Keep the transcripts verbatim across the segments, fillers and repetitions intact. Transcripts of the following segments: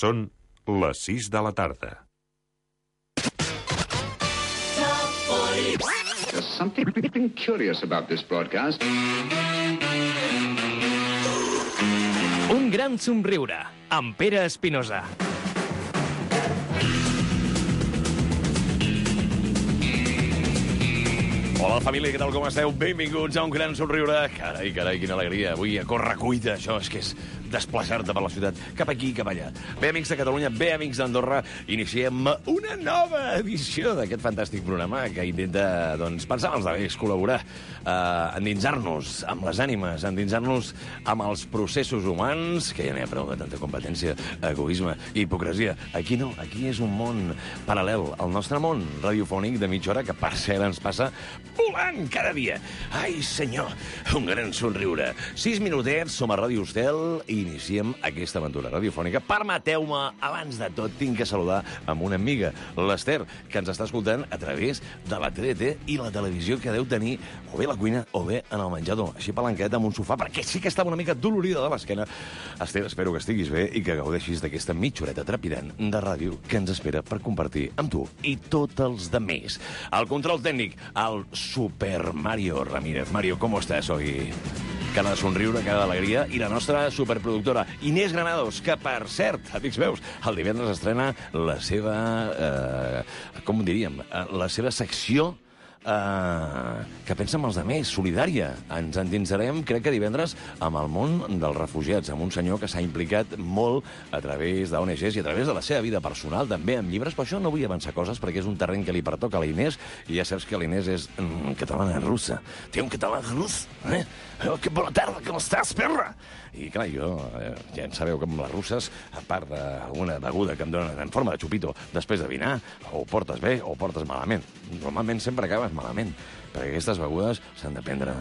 Són les sis de la tarda. There's something curious about this broadcast. Un gran somriure, amb Pere Espinosa. Hola, família, què tal, com esteu? Benvinguts a Un gran somriure. Carai, carai, quina alegria. Avui a correcuita, això és que és desplaçar-te per la ciutat, cap aquí, cap allà. Bé, amics de Catalunya, bé, amics d'Andorra, iniciem una nova edició d'aquest fantàstic programa que intenta, doncs, pensar en els altres, col·laborar, eh, endinsar-nos amb les ànimes, endinsar-nos amb els processos humans, que ja n'hi ha prou de tanta competència, egoisme i hipocresia. Aquí no, aquí és un món paral·lel al nostre món radiofònic de mitja hora, que per cert ens passa volant cada dia. Ai, senyor, un gran somriure. Sis minutets, som a Ràdio Estel i iniciem aquesta aventura radiofònica. Permeteu-me, abans de tot, tinc que saludar amb una amiga, l'Ester, que ens està escoltant a través de la T D T i la televisió que deu tenir o bé a la cuina o bé en el menjador, així palanquet amb un sofà, perquè sí que estava una mica dolorida de l'esquena. Ester, espero que estiguis bé i que gaudeixis d'aquesta mitja horeta trepidant de ràdio que ens espera per compartir amb tu i tots els de més. El control tècnic, el Super Mario Ramírez. Mario, ¿cómo estás hoy? Cada somriure, cada alegria, i la nostra superproductora, Inés Granados, que, per cert, amics meus, el divendres estrena la seva, eh, com diríem, la seva secció Uh, que pensa en els altres, solidària. Ens endinsarem, crec que divendres, amb el món dels refugiats, amb un senyor que s'ha implicat molt a través d'O N Ges i a través de la seva vida personal, també amb llibres, però això no vull avançar coses perquè és un terreny que li pertoca a la Inés, i ja saps que la Inés és mm, catalana russa. Té un català rus, eh? Oh, que bona tarda, com estàs, perra? I clar, jo, eh, ja en sabeu que amb les russes, a part d'alguna beguda que em donen en forma de xupito després de dinar, o ho portes bé o ho portes malament. Normalment sempre acabes malament, perquè aquestes begudes s'han de prendre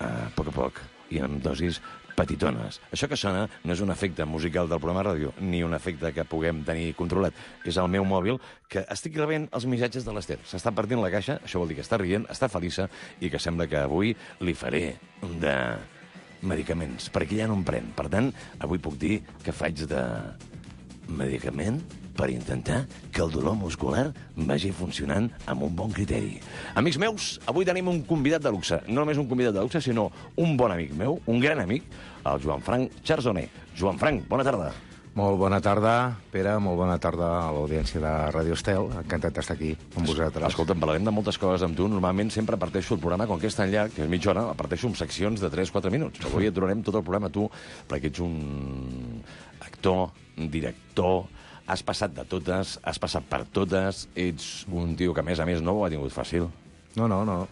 a poc a poc i amb dosis petitones. Això que sona no és un efecte musical del programa ràdio, ni un efecte que puguem tenir controlat. És el meu mòbil, que estic rebent els missatges de l'Ester. S'està partint la caixa, això vol dir que està rient, està feliça, i que sembla que avui li faré de medicaments, perquè ja no em pren. Per tant, avui puc dir que faig de medicament per intentar que el dolor muscular vagi funcionant amb un bon criteri. Amics meus, avui tenim un convidat de luxe. No només un convidat de luxe, sinó un bon amic meu, un gran amic, el Joan Frank Charzoner. Joan Frank, bona tarda. Molt bona tarda, Pere, molt bona tarda a l'audiència de Ràdio Estel. Encantat d'estar aquí amb vosaltres. Escolta'm, parlarem de moltes coses amb tu. Normalment sempre parteixo el programa, com que és tan llarg, que és mitja hora, el parteixo en seccions de tres quatre minuts. Avui et donarem tot el programa a tu, perquè ets un actor, un director, has passat de totes, has passat per totes, ets un tio que, a més a més, no ho ha tingut fàcil. No, no, no.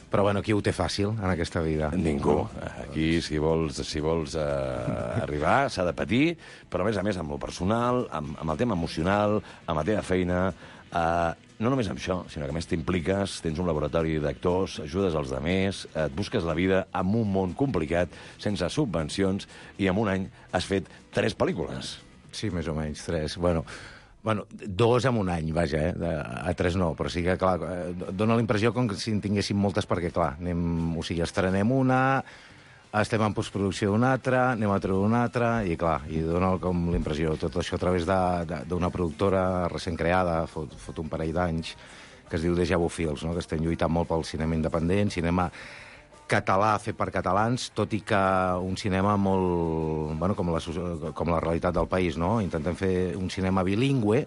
Però, bueno, qui ho té fàcil en aquesta vida? Ningú. Aquí, si vols, si vols eh, arribar, s'ha de patir, però, a més a més, amb el personal, amb, amb el tema emocional, amb la teva feina, eh, no només amb això, sinó que, a més, t'impliques, tens un laboratori d'actors, ajudes els altres, et busques la vida en un món complicat, sense subvencions, i en un any has fet tres pel·lícules. Sí, més o menys, tres. Bueno... Bueno, dos en un any, vaja, eh? De, a tres no, però sí que, clar, dona la impressió com si en tinguéssim moltes, perquè, clar, anem, o sigui, estrenem una, estem en postproducció d'una altra, anem a treure una altra, i, clar, i dona com l'impressió, tot això a través d'una productora recent creada, fot, fot un parell d'anys, que es diu Deja Vu Films, no? Que estem lluitant molt pel cinema independent, cinema català fet per catalans, tot i que un cinema molt... Bueno, com la, com la realitat del país, no? Intentem fer un cinema bilingüe,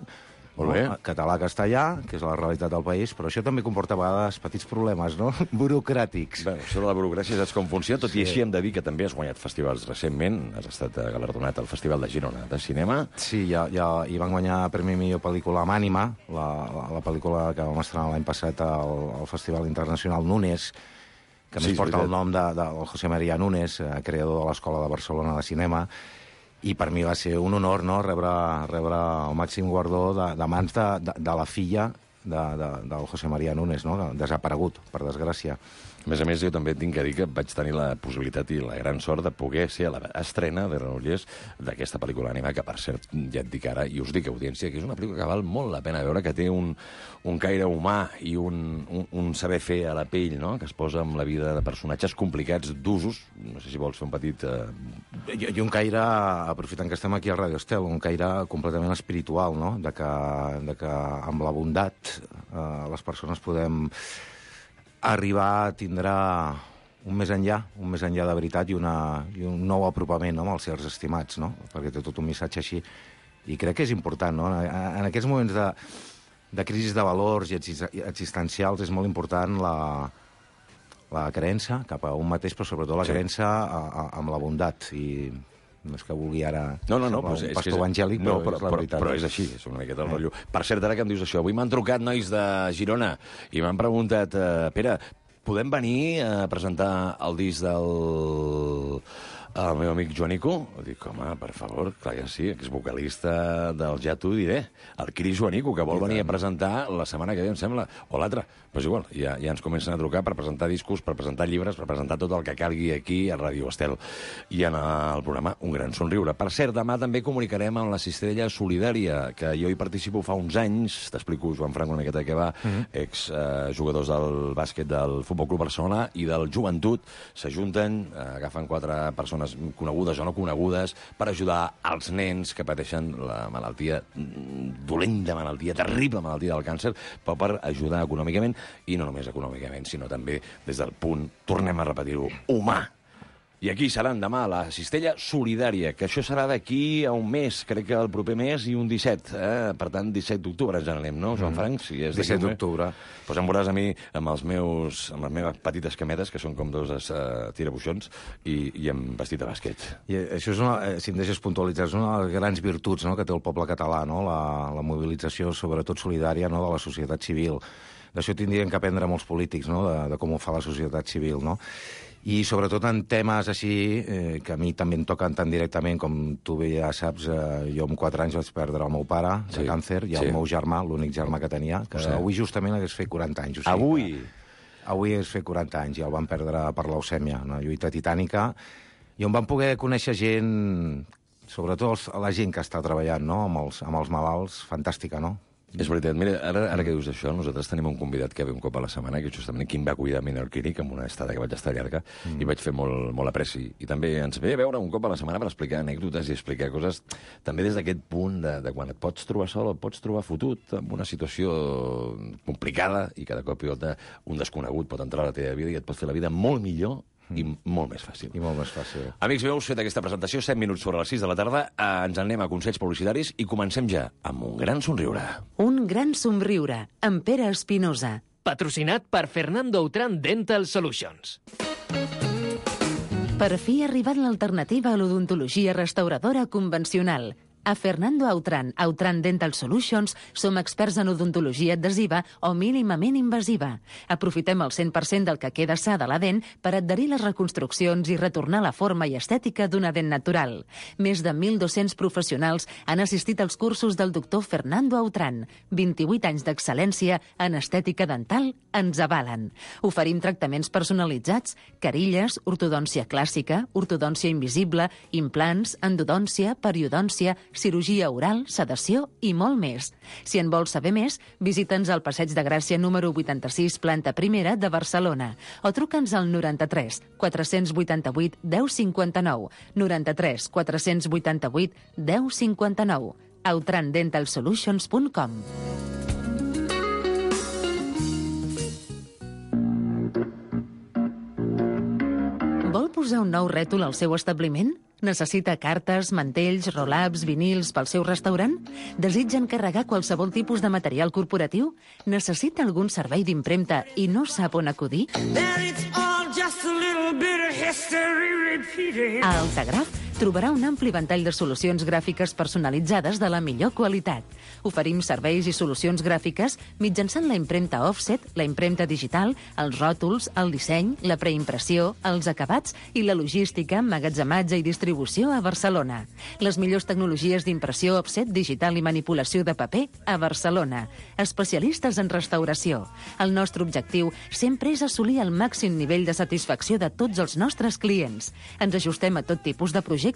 molt bé, no? Català-castellà, que és la realitat del país, però això també comporta a vegades petits problemes, no? Burocràtics. Bé, això de la burocràcia saps com funciona, tot Sí. i així hem de dir que també has guanyat festivals recentment, has estat galardonat al Festival de Girona de Cinema. Sí, ja, ja hi van guanyar Premi Millor Pel·lícula amb Ànima, la, la, la pel·lícula que vam estrenar l'any passat al, al Festival Internacional Núñez, que a més Sí, porta veritat. el nom de, de José María Núñez, eh, creador de l'Escola de Barcelona de Cinema, i per mi va ser un honor, no?, rebre, rebre el màxim guardó de, de mans de, de, de la filla de, de, del José María Núñez, no?, desaparegut, per desgràcia. A més a més, jo també tinc que dir que vaig tenir la possibilitat i la gran sort de poder ser a l'estrena de Granollers d'aquesta pel·lícula ànima, que, per cert, ja et dic ara, i us dic, audiència, que és una pel·lícula que val molt la pena veure, que té un, un caire humà i un, un, un saber fer a la pell, no?, que es posa amb la vida de personatges complicats, d'usos. No sé si vols fer un petit... Eh... I, I un caire, aprofitant que estem aquí al Radio Estel, un caire completament espiritual, no?, de que, de que amb la bondat eh, les persones podem arribar a tindre un més enllà, un més enllà de veritat i, una, i un nou apropament, no?, amb els sers estimats, no?, perquè té tot un missatge així. I crec que és important, no?, en, en aquests moments de, de crisi de valors i existencials és molt important la, la creença cap a un mateix, però sobretot la sí. creença a, a, amb la bondat. I no és que vulgui ara no, no, no, un és, és pastor és, evangèlic, no, però, però, és la veritat. Però, però és així, és una miqueta el rotllo. Per cert, ara que em dius això, avui m'han trucat nois de Girona i m'han preguntat, eh, Pere, podem venir a presentar el disc del el meu amic Joanico? Dic, home, per favor, clar que sí, que és vocalista del Ja t'ho diré, el Cris Joanico, que vol venir a presentar la setmana que ve, em sembla, o l'altra. Però és igual, ja, ja ens comencen a trucar per presentar discos, per presentar llibres, per presentar tot el que calgui aquí a Ràdio Estel i en el programa Un Gran Somriure. Per cert, demà també comunicarem amb la Cistella Solidària, que jo hi participo fa uns anys, t'explico, Joan Frank, una miqueta de què va, mm-hmm. ex eh, jugadors del bàsquet del Futbol Club Barcelona i del Joventut, s'ajunten, eh, agafen quatre persones conegudes o no conegudes per ajudar als nens que pateixen la malaltia, dolenta malaltia, terrible malaltia del càncer, però per ajudar econòmicament, i no només econòmicament, sinó també des del punt, tornem a repetir-ho, humà. I aquí seran demà la Cistella Solidària, que això serà d'aquí a un mes, crec que el proper mes, i un disset. Eh? Per tant, disset d'octubre ens n'anem, no, Joan Frank? Si és disset d'octubre. Doncs pues em veuràs a mi amb, els meus, amb les meves petites cametes, que són com dos uh, tirabuixons, i, i amb vestit de bàsquet. I això és una, si em deixes puntualitzar, és una de les grans virtuts, no?, que té el poble català, no?, la, la mobilització, sobretot solidària, no?, de la societat civil. D'això tindrien que aprendre molts polítics, no?, de, de com ho fa la societat civil, no?, i sobretot en temes així, eh, que a mi també em toquen tan directament, com tu bé ja saps, eh, jo amb quatre anys vaig perdre el meu pare de sí, càncer, i sí. el meu germà, l'únic germà que tenia, que sí. avui justament hagués fet quaranta anys. O sigui, avui? Avui hagués fet quaranta anys, i el van perdre per leucèmia, una lluita titànica, i on van poder conèixer gent, sobretot la gent que està treballant, no?, amb els, amb els malalts, fantàstica, no? És veritat. Mira, ara, ara que dius això, nosaltres tenim un convidat que ve un cop a la setmana, que justament qui em va cuidar a mi en el clínic, amb una estada que vaig estar llarga, mm. i vaig fer molt, molt apreci. I també ens ve a veure un cop a la setmana per explicar anècdotes i explicar coses, també des d'aquest punt de, de quan et pots trobar sol o et pots trobar fotut en una situació complicada i cada cop i volta un desconegut pot entrar a la teva vida i et pot fer la vida molt millor i molt més fàcil. I molt més fàcil. Amics meus, fet aquesta presentació, set minuts sobre les sis de la tarda, eh, ens anem a consells publicitaris i comencem ja amb Un Gran Somriure. Un Gran Somriure, amb Pere Espinosa. Patrocinat per Fernando Autran Dental Solutions. Per fi ha arribat l'alternativa a l'odontologia restauradora convencional. A Fernando Autran, Autran Dental Solutions, som experts en odontologia adhesiva o mínimament invasiva. Aprofitem el cent per cent del que queda sa de la dent per adherir les reconstruccions i retornar la forma i estètica d'una dent natural. Més de mil dos-cents professionals han assistit als cursos del doctor Fernando Autran. vint-i-vuit anys d'excel·lència en estètica dental ens avalen. Oferim tractaments personalitzats, carilles, ortodòncia clàssica, ortodòncia invisible, implants, endodòncia, periodòncia, cirurgia oral, sedació i molt més. Si en vols saber més, visita'ns al Passeig de Gràcia número vuitanta-sis, planta primera de Barcelona, o truca'ns al noranta-tres quatre-cents vuitanta-vuit deu cinquanta-nou, noranta-tres quatre-cents vuitanta-vuit deu cinquanta-nou, autran dental solutions punt com. Vol posar un nou rètol al seu establiment? Necessita cartes, mantells, roll-ups, vinils pel seu restaurant? Desitja encarregar qualsevol tipus de material corporatiu? Necessita algun servei d'impremta i no sap on acudir? A Altagraf trobarà un ampli ventall de solucions gràfiques personalitzades de la millor qualitat. Oferim serveis i solucions gràfiques mitjançant la impremta offset, la impremta digital, els ròtols, el disseny, la preimpressió, els acabats i la logística, emmagatzematge i distribució a Barcelona. Les millors tecnologies d'impressió offset, digital i manipulació de paper a Barcelona. Especialistes en restauració. El nostre objectiu sempre és assolir el màxim nivell de satisfacció de tots els nostres clients. Ens ajustem a tot tipus de projectes.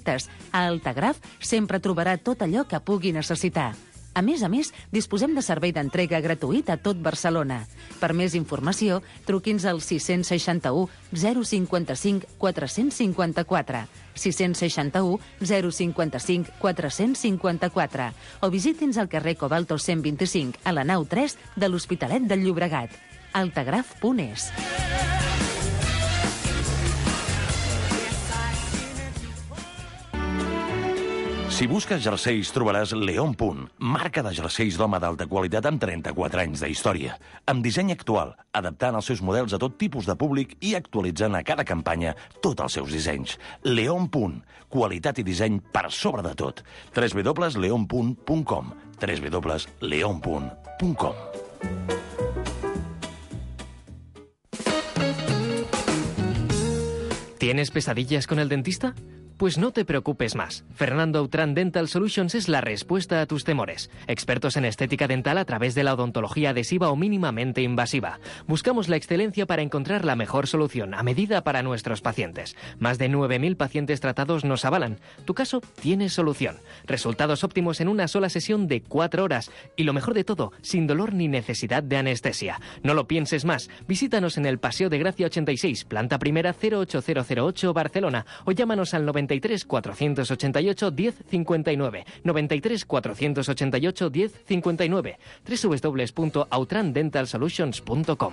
A Altagraf sempre trobarà tot allò que pugui necessitar. A més a més, disposem de servei d'entrega gratuït a tot Barcelona. Per més informació, truqui'ns al sis seixanta-u zero cinquanta-cinc quatre-cents cinquanta-quatre, sis seixanta-u zero cinquanta-cinc quatre-cents cinquanta-quatre o visiti'ns al carrer Cobalto cent vint-i-cinc a la nau tres de l'Hospitalet del Llobregat. altagraf punt es. Si busques jerseis, trobaràs León Punt, marca de jerseis d'home d'alta qualitat amb trenta-quatre anys de història, amb disseny actual, adaptant els seus models a tot tipus de públic i actualitzant a cada campanya tots els seus dissenys. León Punt, qualitat i disseny per sobre de tot. w w w punt leon punt com w w w punt leon punt com. ¿Tienes pesadillas con el dentista? Pues no te preocupes más. Fernando Autran Dental Solutions es la respuesta a tus temores. Expertos en estética dental a través de la odontología adhesiva o mínimamente invasiva. Buscamos la excelencia para encontrar la mejor solución a medida para nuestros pacientes. Más de nueve mil pacientes tratados nos avalan. Tu caso tiene solución. Resultados óptimos en una sola sesión de cuatro horas. Y lo mejor de todo, sin dolor ni necesidad de anestesia. No lo pienses más. Visítanos en el Paseo de Gracia ochenta y seis, planta primera cero ocho cero cero ocho, Barcelona. O llámanos al noventa y tres cuatrocientos ochenta y ocho diez cincuenta y nueve, noventa y tres cuatrocientos ochenta y ocho diez cincuenta y nueve, w w w punto autran dental solutions punto com.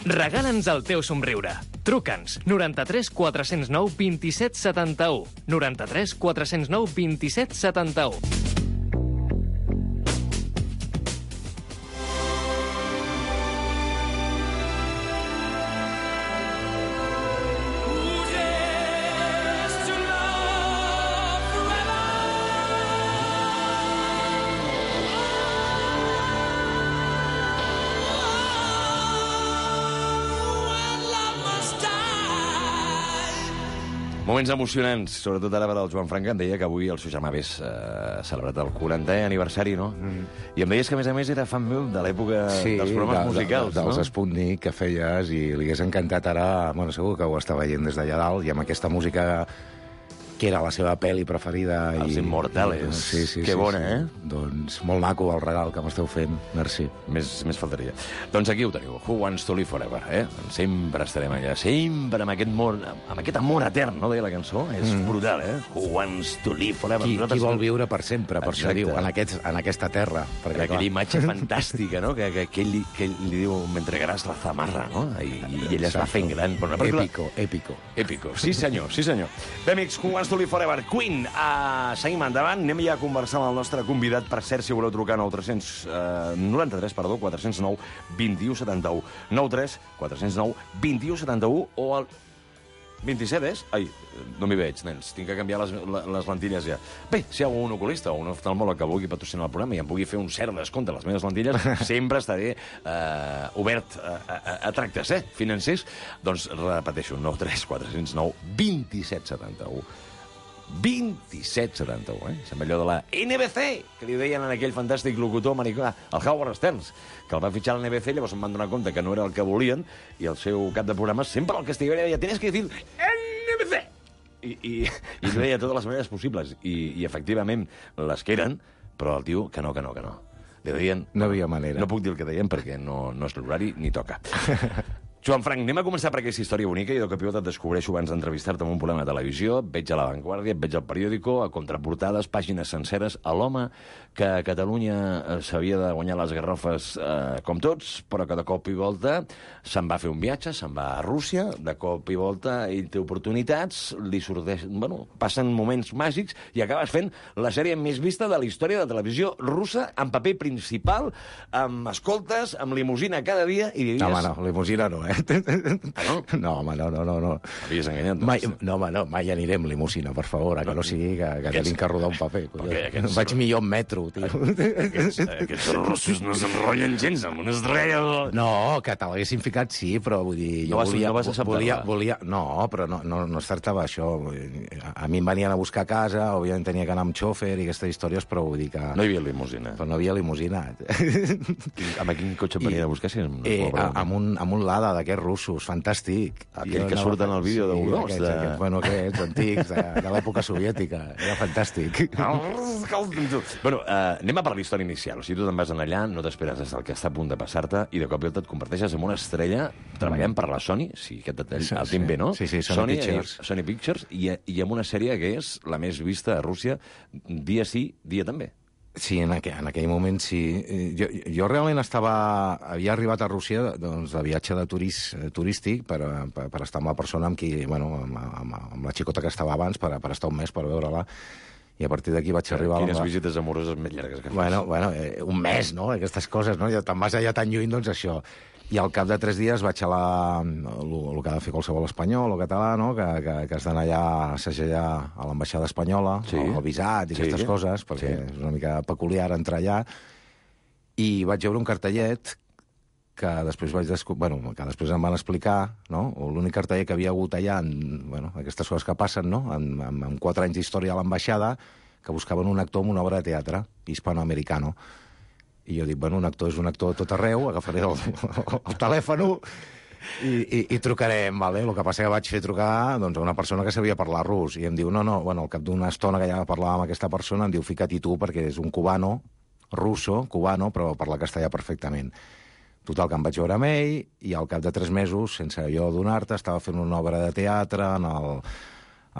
Regala'ns el teu somriure. Truca'ns noranta-tres quatre-cents nou vint-i-set setanta-u, noranta-tres quatre-cents nou vint-i-set setanta-u. Moments emocionants, sobretot ara per al Joan Frank, que em deia que avui el seu germà hagués eh, celebrat el quarantè aniversari, no? Mm. I em deies que, a més a més, era fan meu de l'època sí, dels programes de, musicals, de, de, no? dels Sputnik que feies, i li hagués encantat ara, bueno, segur que ho està veient des d'allà dalt, i amb aquesta música que era la seva pel·li preferida. Els i, Immortales. Sí, sí, que sí, bona, sí. eh? Doncs molt maco el regal que m'esteu fent. Merci. Més, més faltaria. Doncs aquí ho teniu. Who Wants to Live Forever, eh? Sempre estarem allà. Sempre amb aquest amor, amb aquest amor etern, no? Deia la cançó. És mm. brutal, eh? Who Wants to Live Forever. Qui, Nosaltres... qui vol viure per sempre, per això Exacte. diu, en, aquest, en aquesta terra. Perquè, aquella imatge fantàstica, no? Que, que, que, ell, que ell li diu, m'entregaràs la zamarra, no? I, i ell es va fent gran. Però una pel·lícula... Épico, épico. Épico, sí senyor, sí senyor. Bé, amics, Who Wants to Live Forever, Queen. Uh, seguim endavant, anem ja a conversar amb el nostre convidat. Per cert, si voleu trucar, nou tres noranta-tres, perdó, quatre cents nou, vint-i-u setanta-u. nou tres quatre cents nou, vint-i-u setanta-u o el... vint-i-set és? Ai, no m'hi veig, nens. Tinc que canviar les, les lentilles ja. Bé, si hi ha un oculista o un oftalmòleg que vulgui patrocinar el programa i em pugui fer un cert descompte a les meves lentilles, sempre estaré eh, obert a, a, a tractes, eh, financers. Doncs repeteixo, nou tres quatre cents nou, vint-i-set setanta-u. vint-i-set setanta-u, eh? Sembla allò de la N B C, que li deien en aquell fantàstic locutor americà, el Howard Stearns, que el va fitxar a la N B C, llavors em van donar compte que no era el que volien, i el seu cap de programa sempre el castigava i deia, tienes que decir N B C! I, i, i li deia totes les maneres possibles, i, i efectivament les que eren, però el tio, que no, que no, que no. Li deien... No havia manera. No puc dir el que deien perquè no, no és l'horari ni toca. Joan Frank, anem a començar per aquesta història bonica i de cop i volta et descobreixo abans d'entrevistar-te en un programa de televisió, veig a La Vanguardia, veig al periòdico, a contraportades, pàgines senceres, a l'home que a Catalunya eh, s'havia de guanyar les garrofes eh, com tots, però que de cop i volta se'n va fer un viatge, se'n va a Rússia, de cop i volta ell té oportunitats, li sorteix, bueno, passen moments màgics i acabes fent la sèrie més vista de la història de la televisió russa, en paper principal, amb escoltes, amb limusina cada dia, i diries... No, home, no, limusina no, eh? Ah, no? No, home, no, no, no. no. Havies enganyat, doncs. Mai, no, home, no, mai anirem limusina, per favor, que no sigui que, que tenim que rodar un paper. Perquè aquests- Vaig millor en metro, tio. Aquests, aquests russos no s'enrotllen gens amb una estrella. No, que te l'haguessin ficat, sí, però vull dir... Jo No vas- volia, no vas acceptar-la. volia, volia, no, però no, no, no es tractava això. Vull dir, A mi em venien a buscar a casa, òbviament tenia que anar amb xòfer i aquestes històries, però vull dir que... No hi havia limusina. Però no havia limusina. Quin, amb quin cotxe et venia a buscar? Si no Eh, col·laborava? amb, un, amb un Lada d'aquests russos, fantàstic. Aquell Jo que anava- surt en el vídeo de U dos, aquests, de- aquests, bueno, aquests antics, de, de l'època soviètica. Era fantàstic. Bueno, uh, anem a per la història inicial. O sigui, tu te'n vas anar allà, no t'esperes des del que està a punt de passar-te, i de cop i volta et converteixes en una estrella treballant per la Sony, sí, aquest detall, Sí, el tinc sí. bé, no? Sí, sí, Sony Pictures. eh, Sony Pictures, i, i amb una sèrie que és la més vista a Rússia, dia sí, dia també. Sí, en aquell, en aquell moment sí. Eh, Jo, jo realment estava... Havia arribat a Rússia doncs, de viatge de turis, eh, turístic per, per, per estar amb la persona amb qui... Bueno, amb, amb, amb la xicota que estava abans, per, per estar un mes, per veure-la. I a partir d'aquí vaig arribar... Quines amb la... visites amoroses més llargues que fas. Bueno, bueno eh, un mes, no?, aquestes coses, no? Ja te'n vas allà tan lluny, doncs això. I al cap de tres dies vaig a la... el que ha de fer qualsevol espanyol o català, no?, que, que, que has d'anar allà a assajar a l'ambaixada espanyola, Sí. el, el visat i Sí. aquestes coses, perquè Sí. és una mica peculiar entrar allà. I vaig veure un cartellet que després vaig desco... bueno, que després em van explicar, no?, l'únic carteller que havia hagut allà, en, bueno, aquestes coses que passen, no?, en, en, en quatre anys d'història a l'ambaixada, que buscaven un actor amb una obra de teatre hispanoamericano. I jo dic, bueno, un actor és un actor a tot arreu, agafaré el, el telèfon i, i, i trucarem, vale? El que passa que vaig fer trucar doncs, a una persona que sabia parlar rus, i em diu, no, no, bueno, al cap d'una estona que ja parlava amb aquesta persona, em diu, fica't-hi tu, perquè és un cubano, russo, cubano, però parla castellà perfectament. Total, que em vaig veure amb ell, i al cap de tres mesos, sense jo adonar-te, estava fent una obra de teatre en el,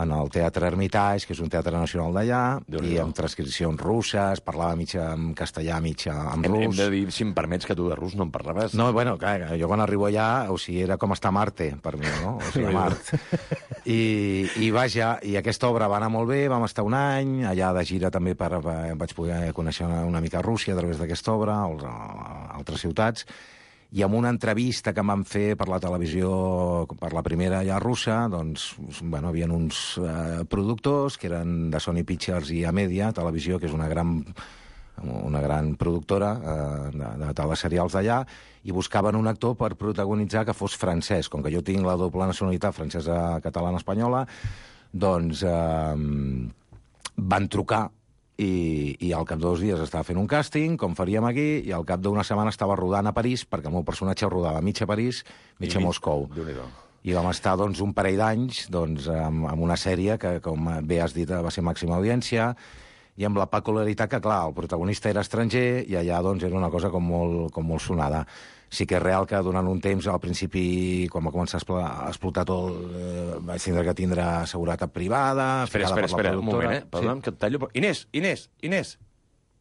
en el Teatre Hermitage, que és un teatre nacional d'allà, i amb transcripcions russes, parlava mitja en castellà, mitja en Hem, rus. hem de dir, si em permets, que tu de rus no en parlaves. No, bueno, clar, jo quan arribo allà, o sigui, era com estar a Marte, per mi, no? O sigui, a Mart. I, I vaja, i aquesta obra va anar molt bé, vam estar un any, allà de gira també per, vaig poder conèixer una, una mica Rússia a través d'aquesta obra, o, a altres ciutats, i amb una entrevista que em van fer per la televisió, per la primera allà russa, doncs, bueno, hi havia uns eh, productors que eren de Sony Pictures i Amedia, Televisió, que és una gran, una gran productora eh, de, de teleserials d'allà, i buscaven un actor per protagonitzar que fos francès. Com que jo tinc la doble nacionalitat francesa, catalana, espanyola, doncs eh, van trucar I, i al cap de dos dies estava fent un càsting, com faríem aquí, i al cap d'una setmana estava rodant a París, perquè el meu personatge rodava mitja a París, mitja a Moscou. Déu-n'hi-do. I vam estar doncs, un parell d'anys doncs, amb, amb una sèrie que, com bé has dit, va ser màxima audiència, i amb la peculiaritat que, clar, el protagonista era estranger, i allà doncs, era una cosa com molt, com molt sonada. Sí que és real que durant un temps, al principi, quan va començar a explotar tot, eh, vaig tindre que tindre seguretat privada... Espera, ficada espera, per la espera, un moment, productora. eh? Perdona'm que et tallo, però... Inés, Inés, Inés,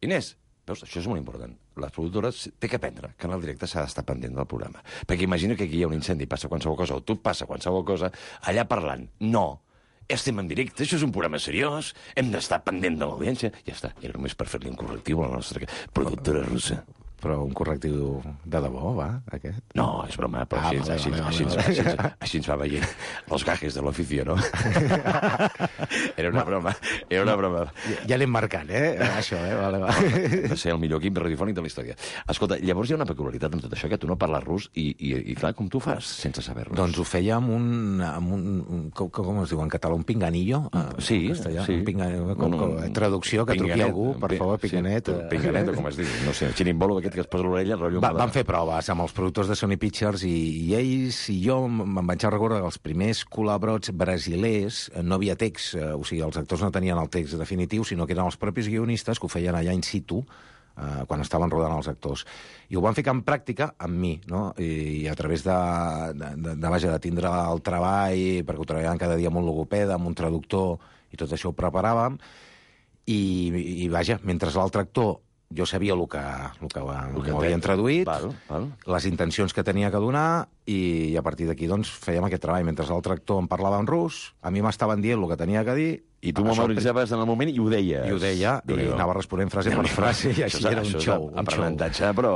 Inés! Veus, això és molt important. Les productores té que aprendre que en el directe s'ha d'estar pendent del programa. Perquè imagina que aquí hi ha un incendi, passa qualsevol cosa, o tu et passa qualsevol cosa, allà parlant. No. Estem en directe, això és un programa seriós, hem d'estar pendent de l'audiència. Ja està, era només per fer-li un correctiu a la nostra productora russa. Però un correctiu de debò, va, aquest? No, és broma, però Ah, així, vale, així, vale, així, vale, així, vale. així, així ens va veient els gajes de l'oficio, no? Era una broma, era una broma. Ja, ja l'hem marcat, eh? Això, eh? Vale, va. De ser el millor equip radiofònic de la història. Escolta, llavors hi ha una peculiaritat amb tot això, que tu no parles rus, i, i, i clar, com tu ho fas sense saber rus? Doncs ho feia amb un... Amb un, un com, com es diu en català? Un pinganillo? Sí, en castellà, sí. Un pinganillo, com, Un- com, traducció, que truqui pinganet, algú, per pi- favor, sí, pinganet. eh. Pinganet, o com es diu, no sé, el xirimbolo aquest que es posa a l'orella, rotllo... Va, van fer proves amb els productors de Sony Pictures i, i ells i jo me'n vaig recordar que els primers col·labots brasilers eh, no havia text, eh, o sigui, els actors no tenien el text definitiu, sinó que eren els propis guionistes que ho feien allà in situ, eh, quan estaven rodant els actors. I ho van ficar en pràctica amb mi, no? I, i a través de, de, de, de, vaja, de tindre el treball, perquè ho treballàvem cada dia amb un logopeda, amb un traductor, i tot això ho preparàvem, i, i vaja, mentre l'altre actor jo sabia el que, el que, el que havien traduït, val, val. les intencions que tenia que donar, i, i a partir d'aquí doncs, fèiem aquest treball. Mentre l'altre actor em parlava en rus, a mi m'estaven dient el que tenia que dir, i tu memoritzaves en el moment i ho deies. I ho deia, i anava responent frase per frase, i així era un xou. Aprenentatge, però...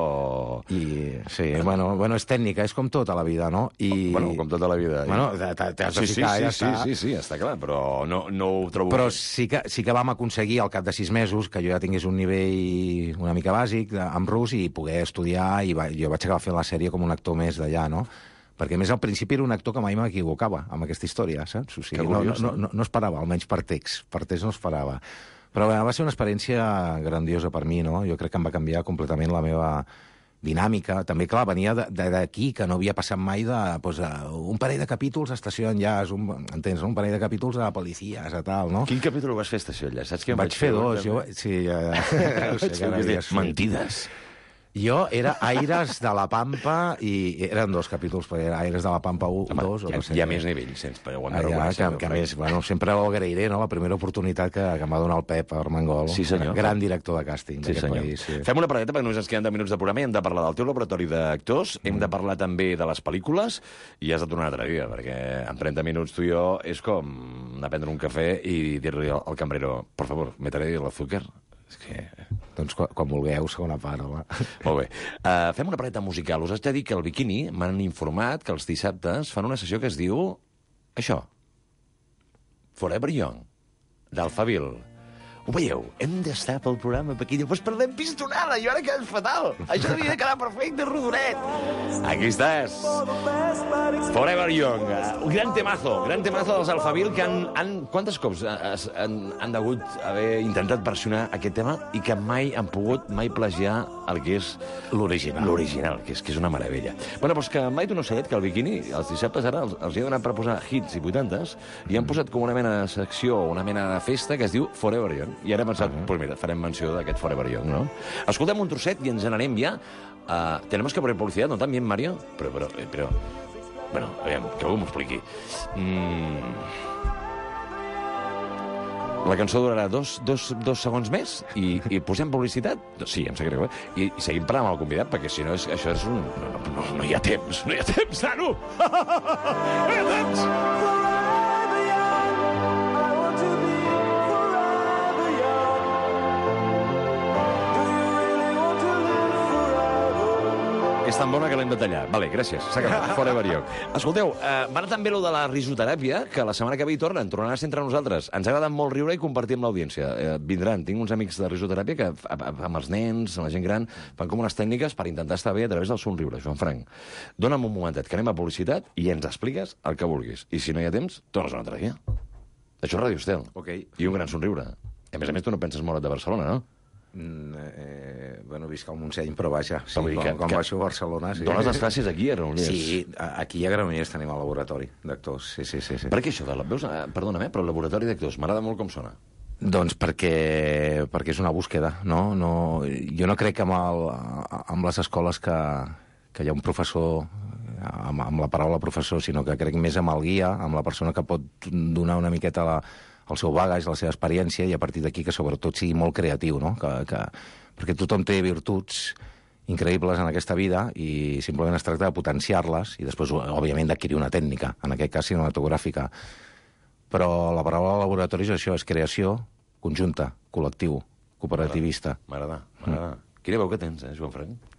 I, sí, bueno, bueno, és tècnica, és com tota la vida, no? I... Bueno, com tota la vida. Bueno, t'has de sí, ficar, sí, ja sí, està. Sí, sí, sí, està clar, però no, no ho trobo... Però sí que, sí que vam aconseguir, al cap de sis mesos, que jo ja tingués un nivell una mica bàsic amb rus i poder estudiar, i va, jo vaig acabar fent la sèrie com un actor més d'allà, no? Perquè, a més, al principi era un actor que mai m'equivocava amb aquesta història, saps? O sigui, no, no, no, no esperava, almenys per text. Per text no esperava. Però bé, va ser una experiència grandiosa per mi, no? Jo crec que em va canviar completament la meva dinàmica. També, clar, venia d'aquí, que no havia passat mai de, doncs, un parell de capítols a Estació d'Enllaç, un, entens, un parell de capítols a Policies, a tal, no? Quin capítol vas fer a Estació d'Enllaç? Saps què vaig, vaig fer dos, jo... Sí, ja... no sé, que dius, mentides. Jo era Aires de la Pampa, i eren dos capítols, perquè era Aires de la Pampa un, Home, dos... O hi ha, no sé, hi ha més nivells, sense, però ho hem de ah, reconèixer. Ja, que, que més, bueno, sempre ho agrairé, no?, la primera oportunitat que, que em va donar el Pep Armengol. Sí, senyor. Gran director de càsting sí, d'aquest senyor. país. Sí. Fem una paradeta, perquè només ens queden deu minuts de programa, i hem de parlar del teu laboratori d'actors, mm. hem de parlar també de les pel·lícules, i has de tornar una altra dia, perquè en trenta minuts tu i jo és com anar a prendre un cafè i dir-li al cambrero, por favor, meteré el azúcar. És que... Doncs quan, quan vulgueu, segona part, home. Molt bé. Uh, fem una pareta musical. Us haig de dir que el Bikini m'han informat que els dissabtes fan una sessió que es diu... això. Forever Young, d'Alphaville. Ho veieu? Hem d'estar pel programa Bikini. Doncs perdem pistonada, i ara quedat fatal. Això havia de quedar perfecte, rodonet. Aquí estàs. Forever Young. Un gran temazo, gran temazo dels Alphaville que han... han quantes cops han, han degut haver intentat versionar aquest tema i que mai han pogut mai plagiar el que és l'original. L'original, que és, que és una meravella. Bueno, doncs que mai tu no sabet que el Bikini, els dissabtes ara, els, els hi he donat per posar hits i vuitantes, i han posat com una mena de secció, una mena de festa que es diu Forever Young. I ara hem pensat, uh -huh. pues mira, farem menció d'aquest Forever Young, no? Escoltem un trosset i ens n'anem ja. Uh, tenemos que poner publicidad, ¿no? También, Mario? Però, però, eh, però... Bueno, aviam, que algú m'ho expliqui. Mm... La cançó durarà dos, dos, dos segons més i, i posem publicitat? Sí, em sap greu, eh? I, i seguim parlant amb el convidat, perquè si no, és, això és un... No, no, no hi ha temps, no hi ha temps, nano! No hi ha temps! És tan bona que l'hem de tallar. Vale, gràcies. S'ha acabat. Forever Young. Escolteu, eh, va anar també lo de la risoteràpia, que la setmana que ve hi tornen, tornaran a ser entre nosaltres. Ens ha agradat molt riure i compartir amb l'audiència. Eh, vindran. Tinc uns amics de risoteràpia que amb els nens, amb la gent gran, fan com unes tècniques per intentar estar bé a través del somriure. Joan Frank, dona'm un momentet, que anem a publicitat i ens expliques el que vulguis. I si no hi ha temps, tornes un altre dia. Això és Radio Estel. Okay. I un gran somriure. I a més a més, tu no penses moure't de Barcelona, no? Mm, eh, bueno, visc al Montseny, però vaja, sí, com, que, quan que... baixo a Barcelona... Sí. Dones les classes aquí a Granollers? Sí, aquí a Granollers tenim el laboratori d'actors, sí, sí, sí, sí. Per què això? De la... Veus, perdona'm, eh, però el laboratori d'actors m'agrada molt com sona. Doncs perquè, perquè és una búsqueda, no? no jo no crec que amb, el, amb les escoles que, que hi ha un professor, amb, amb la paraula professor, sinó que crec més amb el guia, amb la persona que pot donar una miqueta la, el seu bagatge, la seva experiència, i a partir d'aquí que sobretot sigui molt creatiu, no? Que, que, perquè tothom té virtuts increïbles en aquesta vida i simplement es tracta de potenciar-les i després, òbviament, d'adquirir una tècnica, en aquest cas cinematogràfica. Però la paraula laboratori és això, és creació conjunta, col·lectiu, cooperativista. M'agrada, m'agrada. Mm. Quina veu que tens, eh, Joan Frank?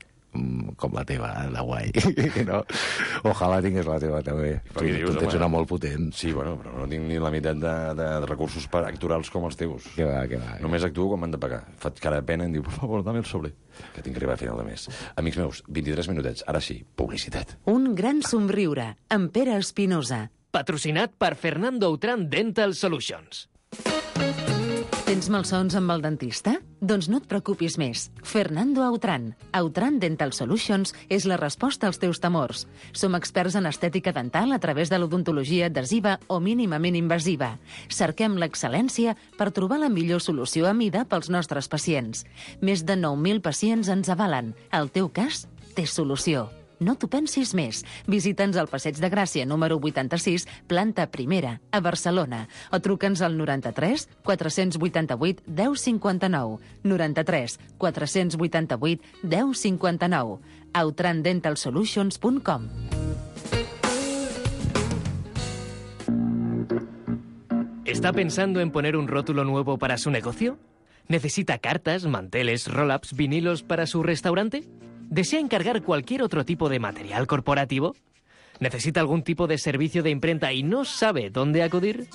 Com la teva, de guai. No? Ojalà tingués la teva, també. Tu, dius, tu tens home, una molt potent. Sí, bueno, però no tinc ni la meitat de, de, de recursos actorals com els teus. Que va, que va. Només actuo quan m'han de pagar. Faig cara de pena i em diu, per favor, dame el sobre. Que tinc que arribar a final de mes. Amics meus, vint-i-tres minutets. Ara sí, publicitat. Un gran somriure, amb Pere Espinosa. Patrocinat per Fernando Autran Dental Solutions. Tens malsons amb el dentista? Doncs no et preocupis més. Fernando Autran. Autran Dental Solutions és la resposta als teus temors. Som experts en estètica dental a través de l'odontologia adhesiva o mínimament invasiva. Cerquem l'excel·lència per trobar la millor solució a mida pels nostres pacients. Més de nou mil pacients ens avalen. El teu cas té solució. No t'ho pensis més. Visita'ns al Passeig de Gràcia, número vuitanta-sis, planta primera, a Barcelona. O truca'ns al noranta-tres quatre-cents vuitanta-vuit deu cinquanta-nou. noranta-tres quatre-cents vuitanta-vuit deu cinquanta-nou. autran dental solutions punt com. ¿Está pensando en poner un rótulo nuevo para su negocio? ¿Necesita cartas, manteles, roll-ups, vinilos para su restaurante? ¿Desea encargar cualquier otro tipo de material corporativo? ¿Necesita algún tipo de servicio de imprenta y no sabe dónde acudir?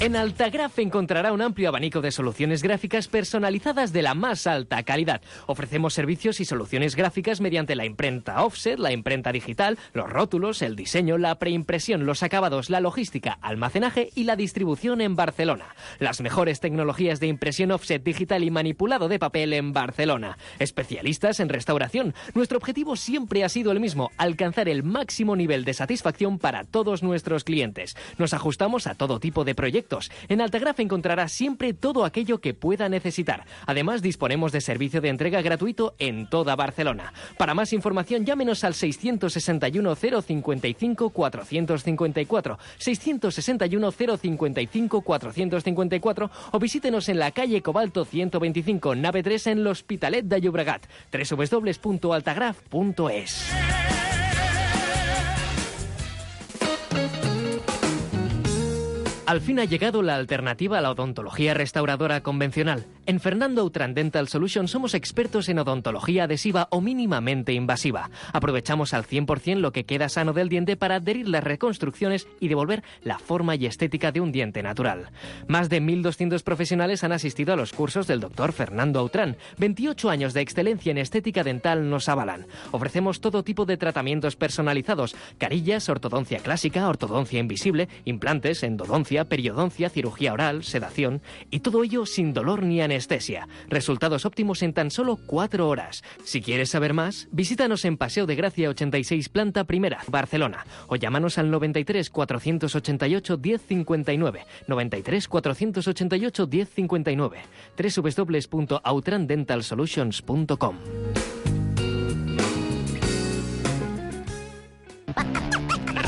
En Altagraph encontrará un amplio abanico de soluciones gráficas personalizadas de la más alta calidad. Ofrecemos servicios y soluciones gráficas mediante la imprenta offset, la imprenta digital, los rótulos, el diseño, la preimpresión, los acabados, la logística, almacenaje y la distribución en Barcelona. Las mejores tecnologías de impresión offset digital y manipulado de papel en Barcelona. Especialistas en restauración. Nuestro objetivo siempre ha sido el mismo: alcanzar el máximo nivel de satisfacción para todos nuestros clientes. Nos ajustamos a todo tipo de proyectos. En Altagraph encontrará siempre todo aquello que pueda necesitar. Además, disponemos de servicio de entrega gratuito en toda Barcelona. Para más información, llámenos al seiscientos sesenta y uno cero cincuenta y cinco cuatrocientos cincuenta y cuatro, seiscientos sesenta y uno cero cincuenta y cinco cuatrocientos cincuenta y cuatro o visítenos en la calle Cobalto ciento veinticinco, nave tres, en l'Hospitalet de Llobregat. doble u doble u doble u punto altagraph punto es. Al fin ha llegado la alternativa a la odontología restauradora convencional. En Fernando Autran Dental Solutions somos expertos en odontología adhesiva o mínimamente invasiva. Aprovechamos al cien por cien lo que queda sano del diente para adherir las reconstrucciones y devolver la forma y estética de un diente natural. Más de mil doscientos profesionales han asistido a los cursos del doctor Fernando Autran. veintiocho años de excelencia en estética dental nos avalan. Ofrecemos todo tipo de tratamientos personalizados: carillas, ortodoncia clásica, ortodoncia invisible, implantes, endodoncia, periodoncia, cirugía oral, sedación, y todo ello sin dolor ni anestesia. Resultados óptimos en tan solo cuatro horas. Si quieres saber más, visítanos en Paseo de Gracia ochenta y seis, planta primera, Barcelona, o llámanos al noventa y tres cuatrocientos ochenta y ocho diez cincuenta y nueve, noventa y tres cuatrocientos ochenta y ocho diez cincuenta y nueve, doble u doble u doble u punto autran dental solutions punto com.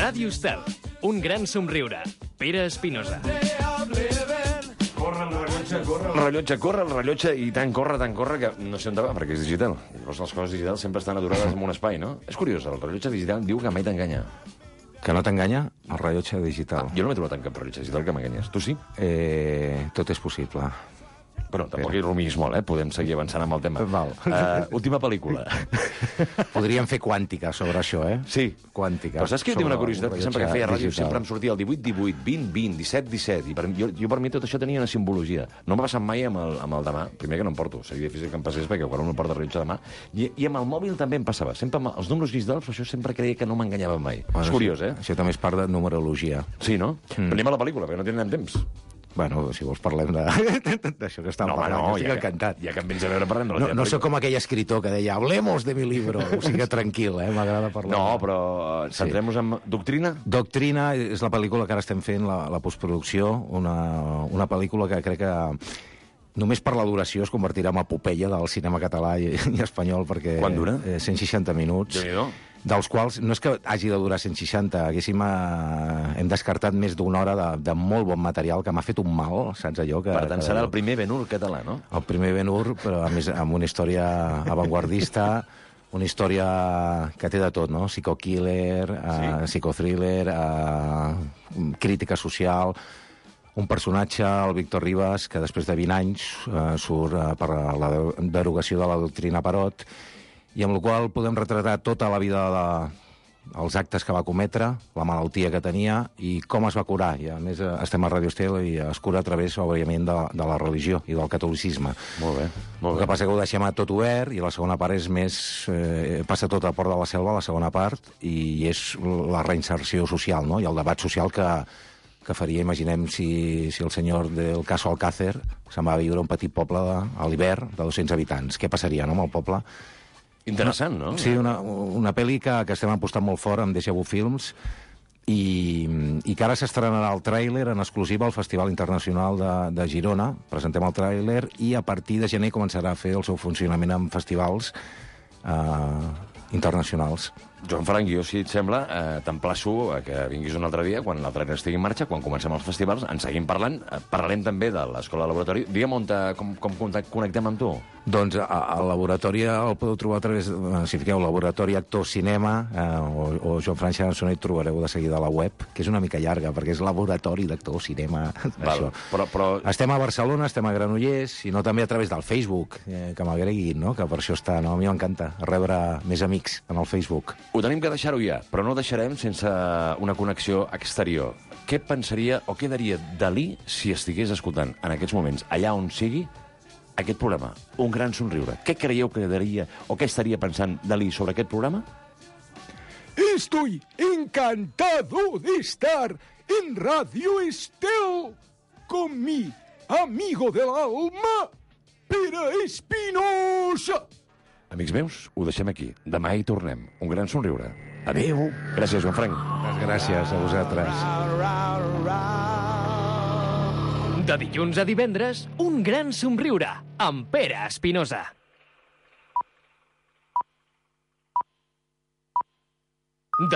Ràdio Estel, un gran somriure. Pere Espinosa. Corre el rellotge, corre el rellotge, corre el rellotge, i tant corre, tant corre, que no sé on va, perquè és digital. Llavors les coses digitals sempre estan adorades en un espai, no? És curiós, el rellotge digital diu que mai t'enganya. Que no t'enganya el rellotge digital. Jo no m'he trobat en cap rellotge digital que m'enganyés. Tu sí? Eh, tot és possible. Però tampoc hi rumis molt, eh? Podem seguir avançant amb el tema. Val. Uh, última pel·lícula. Podríem fer quàntica sobre això, eh? Sí. Quàntica. Però saps que jo tinc una curiositat? Que sempre que feia ràdio sempre em sortia el divuit divuit, vint vint, disset disset, i per, jo, jo per mi tot això tenia una simbologia. No m'ha passat mai amb el, amb el demà. Primer que no em porto, seria difícil que em passés perquè quan un no porta rellotge demà. I, I amb el mòbil també em passava. Sempre amb els números digitals, però això sempre creia que no m'enganyaven mai. Bueno, és curiós, eh? Això també és part de numerologia. Sí, no? Mm. Però anem a la pel·lícula, perquè no tindrem temps. Bueno, si vols parlem d'això que estàvem no, parlant, no, estic ja encantat. Que, ja que em vens a veure parlem de la no, no sóc com aquell escritor que deia hablemos de mi libro, o sigui que tranquil, eh? M'agrada parlar. No, però uh, centrem-nos sí. en Doctrina. Doctrina és la pel·lícula que ara estem fent, la, la postproducció, una, una pel·lícula que crec que només per la duració es convertirà en epopeia del cinema català i, i espanyol, perquè... Quant dura? Eh, cent seixanta minuts. Déu-n'hi-do. Dels quals no és que hagi de durar cent seixanta, haguéssim, eh, hem descartat més d'una hora de, de molt bon material que m'ha fet un mal, saps allò? Que, per tant, que, serà el primer Ben-Hur català, no? El primer Ben-Hur, però a més amb una història avantguardista, una història que té de tot, no? Psico-killer, eh, sí. psicothriller, eh, crítica social, un personatge, el Víctor Rivas, que després de vint anys eh, surt eh, per la derogació de la doctrina Parot, i amb la qual podem retratar tota la vida de els actes que va cometre, la malaltia que tenia i com es va curar. I a més estem a Radio Estel i es cura a través, òbviament, de, de la religió i del catolicisme. Molt bé. Molt el que passa que ho deixem a tot obert i la segona part és més... Eh, passa tot a Port de la Selva, la segona part, i és la reinserció social, no? I el debat social que, que faria, imaginem, si, si el senyor del Caso Alcácer se'n va a viure a un petit poble a l'hivern de dos-cents habitants. Què passaria, no?, amb el poble? Interessant, no? Sí, una, una pel·li que, que estem apostant molt fort amb Deja Vu Films i, i que ara s'estrenarà el tràiler en exclusiva al Festival Internacional de, de Girona. Presentem el tràiler i a partir de gener començarà a fer el seu funcionament en festivals eh, internacionals. Joan Frank, jo, si et sembla, eh, t'emplaço a que vinguis un altre dia, quan el tràiler estigui en marxa, quan comencem els festivals, en seguim parlant. Eh, parlarem també de l'Escola de Laboratori. Digue'm on te, com, com connectem amb tu. Doncs al laboratori el podeu trobar a través, si fiqueu Laboratori Actor Cinema eh, o, o Joan Frank Xaransonet, trobareu de seguida a la web, que és una mica llarga, perquè és Laboratori d'Actor Cinema. Val, però, però... Estem a Barcelona, estem a Granollers, i no també a través del Facebook, eh, que m'agreguin, no?, que per això està, no? A mi m'encanta rebre més amics en el Facebook. Ho tenim que deixar-ho ja, però no ho deixarem sense una connexió exterior. Què pensaria o què daria Dalí si estigués escoltant en aquests moments, allà on sigui, aquest programa? Un gran somriure. Què creieu que daria o què estaria pensant Dalí sobre aquest programa? Estoy encantado de estar en Radio Estel con mi amigo del alma, Pere Espinosa. Amics meus, ho deixem aquí. Demà hi tornem. Un gran somriure. Adéu. Gràcies, Joan Frank. Gràcies a vosaltres. De dilluns a divendres, un gran somriure amb Pere Espinosa.